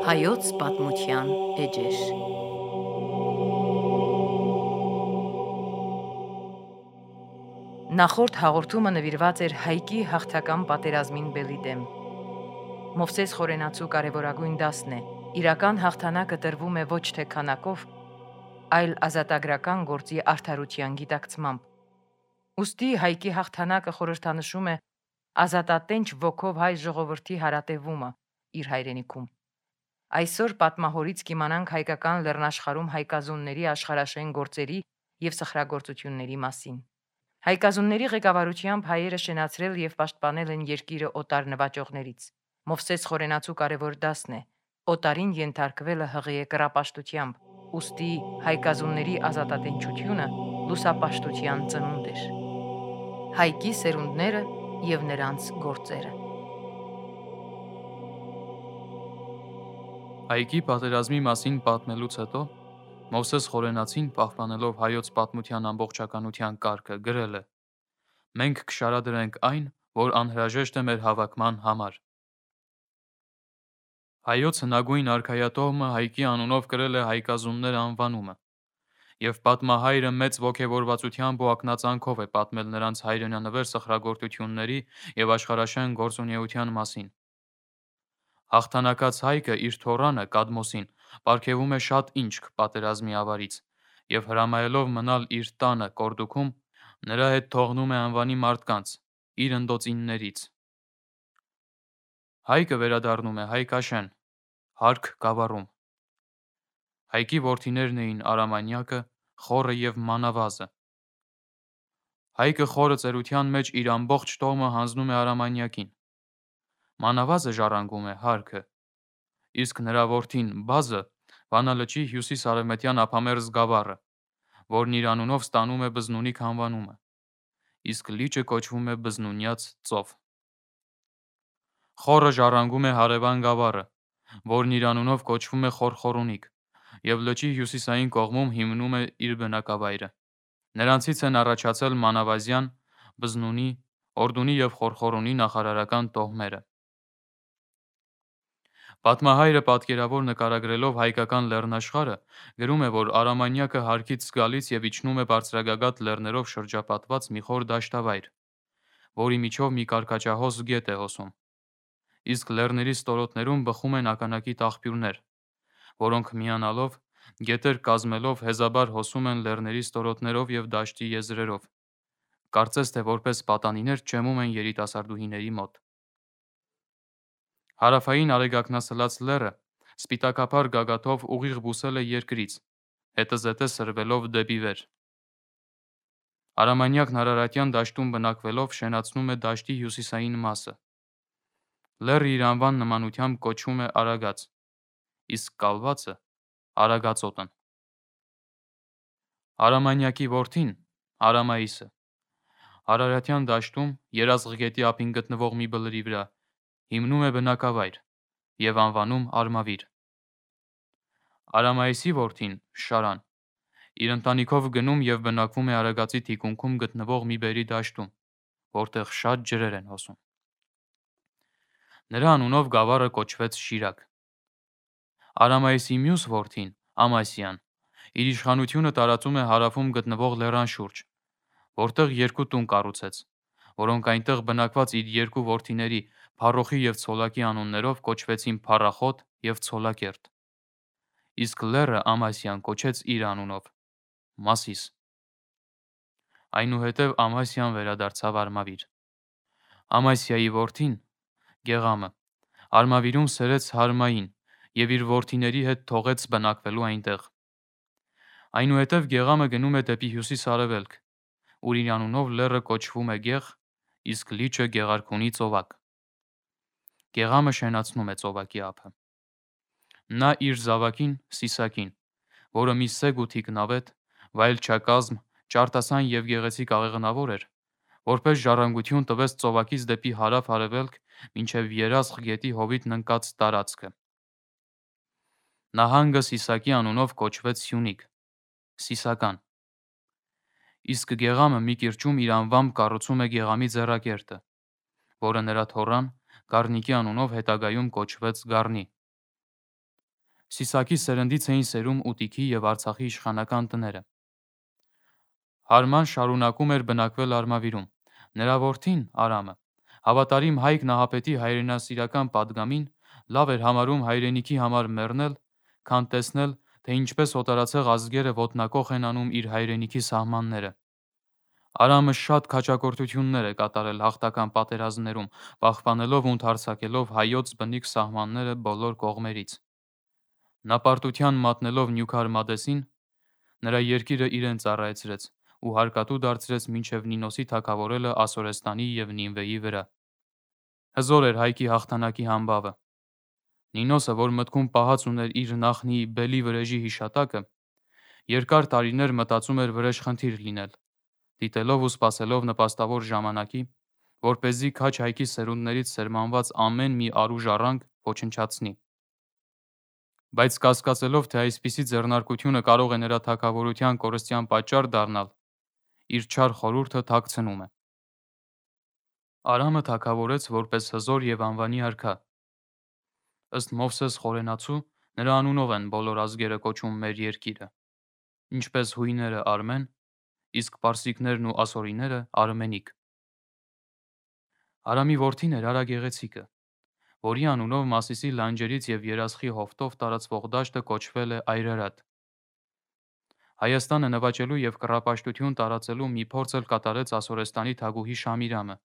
Հայոց պատմության էջեր։ Նախորդ հաղորդումը նվիրված էր Հայկի հաղթական պատերազմին բելի դեմ։ Մովսես Խորենացու կարևորագույն դասն է. իրական հաղթանակը տրվում է ոչ թե քանակով, այլ ազատագրական գործի արդարության գիտակցմամբ։ Ուստի Հայկի հաղթանակը խորհրդանշում է ազատատենչ ոգով հայ ժողովրդի հարատևումը իր հայրենիքում։ Այսօր պատմահորից կիմանանք հայկական լեռնաշխարհում հայկազունների աշխարհաշեն գործերի և սխրագործությունների մասին։ Հայկազունների ղեկավարությամբ հայերը շենացրել և պաշտպանել են երկիրը օտար նվաճողներից։ Մովսես Խորենացու կարևոր դասն է. օտարին ենթարկվելը հղի է կռապաշտությամբ, ուստի հայկազունների ազատատենչությունը լուսապաշտության ծնունդ էր։ Հայկի սերունդները և նրանց գործերը։ Հայկի պատերազմի մասին պատմելուց հետո Մովսես Խորենացին, պահպանելով հայոց պատմության ամբողջականության կարգը, գրել է. «Մենք կշարադրենք այն, որ անհրաժեշտ է մեր հավաքման համար»։ Հայոց հնագույն արքայատոհմը Հայկի անունով կրել է հայկազուններ անվանումը, և պատմահայրը մեծ ոգևորվածությամբ ու ակնածանքով է պատմել նրանց հայրենանվեր սխրագործությունների և աշխարհաշեն գործունեության մասին։ Հաղթանակած Հայկը իր թոռանը Կադմոսին պարգևում է շատ ինչք պատերազմի ավարից և հրամայելով մնալ իր տանը Կորդուքում, նրա հետ թողնում է անվանի մարդկանց, իր ընդոցիններից։ Հայկը վերադառնում է Հայկաշեն, հարկ գավառում։ Հայկի որդիներն էին Արամանյակը, Խոռը և Մանավազը։ Հայկը խորը ծերության մեջ իր ամբողջ տոհմը հանձնում է Արամանյակին։ Մանավազը ժառանգում է հարքը, իսկ նրա որդին Բազը Վանա լճի հյուսիս-արևմտյան ափամերձ գավառը, որն իր անունով ստանում է Բզնունիք անվանումը, իսկ լիճը կոչվում է Բզնունյաց ծով։ Խոռը ժառանգում է հարևան գավառը, որն իր անունով կոչվում է Խորխորունիք, և լճի հյուսիսային կողմում հիմնում է իր բնակավայրը։ Նրանցից են առաջացել Մանավազյան, Բզնունի, Օրդունի և Խորխորունի նախարարական տոհմերը։ Պատմահայրը պատկերավոր նկարագրելով հայկական լեռնաշխարհը, գրում է, որ Արամանյակը հարկից զգալից և իջնում է բարձրագագաթ լեռներով շրջապատված մի խոր դաշտավայր, որի միջով մի կարկաճահոս գետ է հոսում, իսկ լեռների ստորոտներում բխում են ականակիտ աղբյուրներ, որոնք միանալով, գետեր կազմելով հեզաբար հոսում են լեռների ստորոտներով և դաշտի եզրերով, կարծես թե որպես պատանիներ ճեմում են երիտասարդուհիների մոտ։ Հարավային արեգակնասլաց լեռը սպիտակափար գագաթով ուղիղ բուսել է երկրից, հետզհետե սրվելով դեպի վեր։ Արամանյակն Արարատյան դաշտում բնակվելով շենացնում է դաշտի հյուսիսային մասը։ Լեռը իր անվան նմանությամբ կոչվում է Արագած, իսկ կալվածը Արագածոտն։ Արամանյակի որդին Արամայիսը Արարատյան դաշտում Երազղ գետի ափին գտնվող մի բլրի վրա հիմնում է բնակավայր և անվանում Արմավիր։ Արամայիսի որդին Շարան իր ընտանիքով գնում և բնակվում է Արագածի թիկունքում գտնվող մի բերրի դաշտում, որտեղ շատ ջրեր են հոսում։ Նրա անունով գավառը կոչվեց Շիրակ։ Արամայիսի մյուս որդին Ամասյան իր իշխանությունը տարածում է հարավում գտնվող լեռան շուրջ, որտեղ երկու տուն կառուցեց, որոնք այնտեղ բնակված իր երկու որդիների Փառոխի և Ցոլակի անուններով կոչվեցին Փառախոտ և Ցոլակերտ, իսկ լեռը Ամասյան կոչեց իր անունով Մասիս։ Այնուհետև Ամասյան վերադարձավ Արմավիր։ Ամասիայի որդին Գեղամը Արմավիրում սերեց Հարմային և իր որդիների հետ թողեց բնակվելու այնտեղ։ Այնուհետև Գեղամը գնում է դեպի հյուսիս-արևելք, ուր իր անունով լեռը կոչվում է Գեղ, իսկ լիճը Գեղարքունի ծովակ։ Գեղամը շենացնում է ծովակի ափը։ Նա իր զավակին Սիսակին, որը մի սեգ ու թիկնավետ, վայելչակազմ, ճարտասան և գեղեցիկ աղեղնավոր էր, որպես ժառանգություն տվեց ծովակից դեպի հարավ-արևելք մինչև Երազղ գետի հովիտն ընկած տարածքը։ Նահանգը Սիսակի անունով կոչվեց Սյունիք, Սիսական։ Իսկ Գեղամը մի կիրճում իր անվամբ կառուցում է Գեղամի ձեռակերտը, որը նրա թոռան Գառնիկի անունով հետագայում կոչվեց Գառնի։ Սիսակի սերնդից էին սերում Ուտիքի և Արցախի իշխանական տները։ Հարման շարունակում էր բնակվել Արմավիրում։ Նրա որդին Արամը, հավատարիմ Հայկ Նահապետի հայրենասիրական պատգամին, լավ էր համարում հայրենիքի համար մեռնել, քան տեսնել, թե ինչպես օտարացեղ ազգերը ոտնակոխ են անում իր հայրենիքի սահմանները։ Արամը շատ քաջակորդություններ է կատարել հաղթական պատերազմներում, պահպանելով ու ընդարձակելով հայոց բնիկ սահմանները բոլոր կողմերից։ Նա պարտության մատնելով Նյութարմադեսին, նրա երկիրը իրեն ծառայեցրեց ու հարկատու դարձրեց մինչև Նինոսի թագավորելը Ասորեստանի և Նինվեի վրա։ Հզոր էր Հայկի հաղթանակի համբավը։ Նինոսը, որ մտքում պահած ուներ իր նախնիի Բելի վրեժի հիշատակը, երկար տարիներ մտածում էր վրեժխնդիր լինել, դիտելով ու սպասելով նպաստավոր ժամանակի, որպեսզի քաջ Հայկի սերունդներից սերմանված ամեն մի առուժ առանք ոչնչացնի։ Բայց կասկածելով, թե այսպիսի ձեռնարկությունը կարող է նրա թագավորության կորստյան պատճառ դառնալ, իր չար խորհուրդը թաքցնում է։ Արամը թագավորեց որպես հզոր և անվանի արքա։ Ըստ Մովսես Խորենացու, նրա անունով են բոլոր ազգերը կոչում մեր երկիրը, ինչպես հույները Արմեն, իսկ պարսիկներն ու ասորիները Արմենիկ։ Արամի որդին էր Արա Գեղեցիկը, որի անունով Մասիսի լանջերից և Երասխի հովտով տարածվող դաշտը կոչվել է Այրարատ։ Հայաստանը նվաճելու և կռապաշտություն տարածելու մի փորձ էլ կատարեց Ասորեստանի թագուհի Շամիրամը,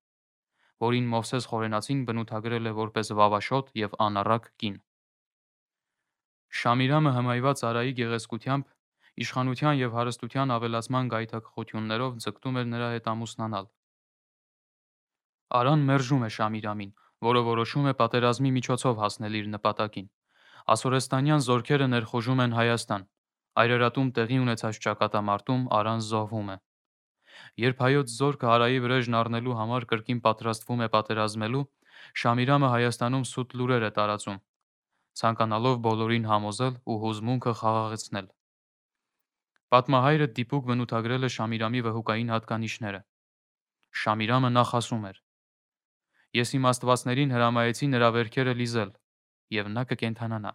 որին Մովսես Խորենացին բնութագրել է որպես վավաշոտ և անառակ կին։ Շամիրամը հմայված Արայի գեղեցկությամբ, իշխանության և հարստության ավելացման գայթակղություններով ձգտում էր նրա հետ ամուսնանալ։ Արան մերժում է Շամիրամին, որը որոշում է պատերազմի միջոցով հասնել իր նպատակին։ Ասորեստանյան զորքերը ներխուժում են Հայաստան։ Այրարատում տեղի ունեցած ճակատամարտում Արան զոհվում է։ Երբ հայոց զորքը Արայի վրեժն առնելու համար կրկին պատրաստվում է պատերազմելու, Շամիրամը Հայաստանում սուտ լուրեր է տարածում, ցանկանալով բոլորին համոզել ու հուզմունքը խաղաղեցնել։ Պատմահայրը դիպուկ բնութագրել է Շամիրամի վհուկային հատկանիշները։ Շամիրամը նախասում էր. «Ես իմ աստվածներին հրամայեցի նրա վերքերը լիզել, և նա կկենդանանա»։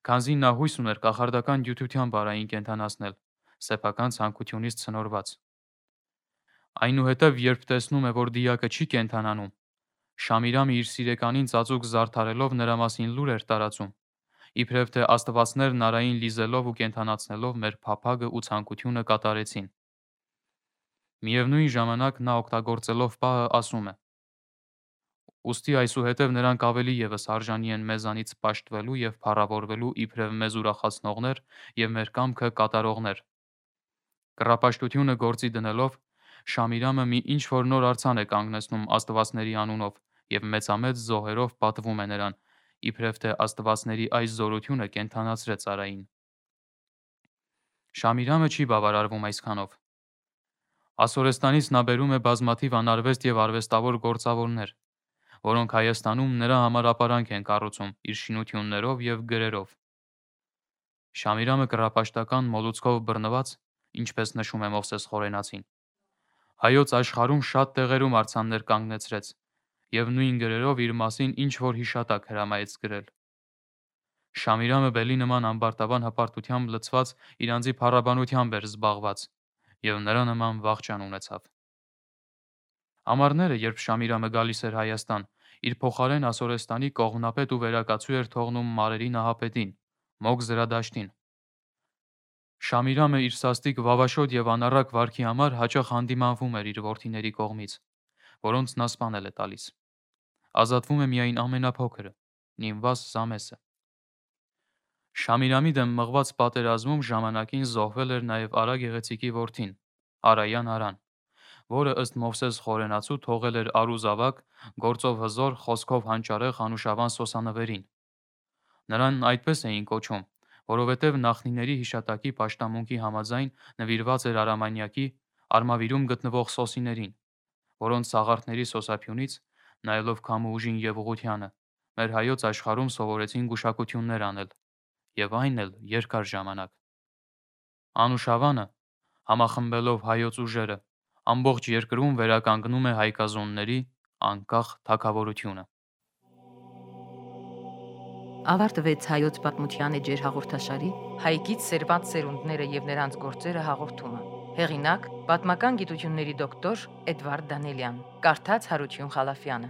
Քանզի նա հույս ուներ կախարդական դյութությամբ Արային կենդանացնել, սեփական ցանկությունից ցնորված։ Այնուհետև, երբ տեսնում է, որ դիակը չի կենդանանում, Շամիրամը իր սիրեկանին ծածուկ զարդարելով նրա մասին լուր էր տարածում, իբրև թե աստվածներն Արային լիզելով ու կենդանացնելով մեր փափագը ու ցանկությունը կատարեցին։ Միևնույն ժամանակ նա օգտագործելով պահը ասում է. «Ուստի այսուհետև նրանք ավելի ևս արժանի են մեզանից պաշտվելու և փառավորվելու իբրև մեզ ուրախացնողներ և մեր կամքը կատարողներ»։ Կռապաշտությունը գործի դնելով, Շամիրամը մի ինչ-որ նոր արձան է կանգնեցնում աստվածների անունով և մեծամեծ զոհերով պատվում է նրան, իբրև թե աստվածների այս զորությունը կենդանացրեց Արային։ Շամիրամը չի բավարարվում այսքանով։ Ասորեստանից նա բերում է բազմաթիվ անարվեստ և արվեստավոր գործավորներ, որոնք Հայաստանում նրա համար ապարանք են կառուցում իր շինություններով և գրերով։ Շամիրամը կռապաշտական մոլուցքով բռնված, ինչպես նշում է Մովսես Խորենացին, հայոց աշխարհում շատ տեղերում արձաններ կանգնեցրեց և նույն գրերով իր մասին ինչ-որ հիշատակ հրամայեց գրել։ Շամիրամը Բելի նման ամբարտավան հպարտությամբ լցված իր անձի փառաբանությամբ էր զբաղված և նրա նման վախճան ունեցավ։ Ամառները, երբ Շամիրամը գալիս էր Հայաստան, իր փոխարեն Ասորեստանի կողմնապետ ու վերակացու էր թողնում Մարերի Նահապետին, Մոգ Զրադաշտին։ Շամիրամը իր սաստիկ վավաշոտ և անառակ վարքի համար հաճախ հանդիմանվում էր իր որդիների կողմից, որոնց նա սպանել է տալիս։ Ազատվում է միայն ամենափոքրը՝ Նինվաս Զամեսը։ Շամիրամի դեմ մղված պատերազմում ժամանակին զոհվել էր նաև Արա Գեղեցիկի որդին՝ Արայան Արան, որը ըստ Մովսես Խորենացու թողել էր առու զավակ, գործով հզոր, խոսքով հանճարեղ Անուշավան Սոսանվերին։ Նրան այդպես էին կոչում, որովհետև նախնիների հիշատակի պաշտամունքի համաձայն նվիրված էր Արամանյակի Արմավիրում գտնվող սոսիներին, որոնց սաղարթների սոսափյունից, նայելով քամու ուժին և ուղղությանը, մեր հայոց աշխարհում սովորեցին գուշակություններ անել, և այն էլ երկար ժամանակ։ Անուշավանը, համախմբելով հայոց ուժերը, ամբողջ երկրում վերականգնում է հայկազոնների անկախ թագավորությունը։ ավարտվեց հայոց պատմության էջեր հաղորդաշարի Հայկից սերված սերունդները եւ նրանց գործերը հաղորդումը։ Հեղինակ՝ պատմական գիտությունների դոկտոր Էդվարդ Դանելյան, կարդաց Հարություն Խալաֆյանը։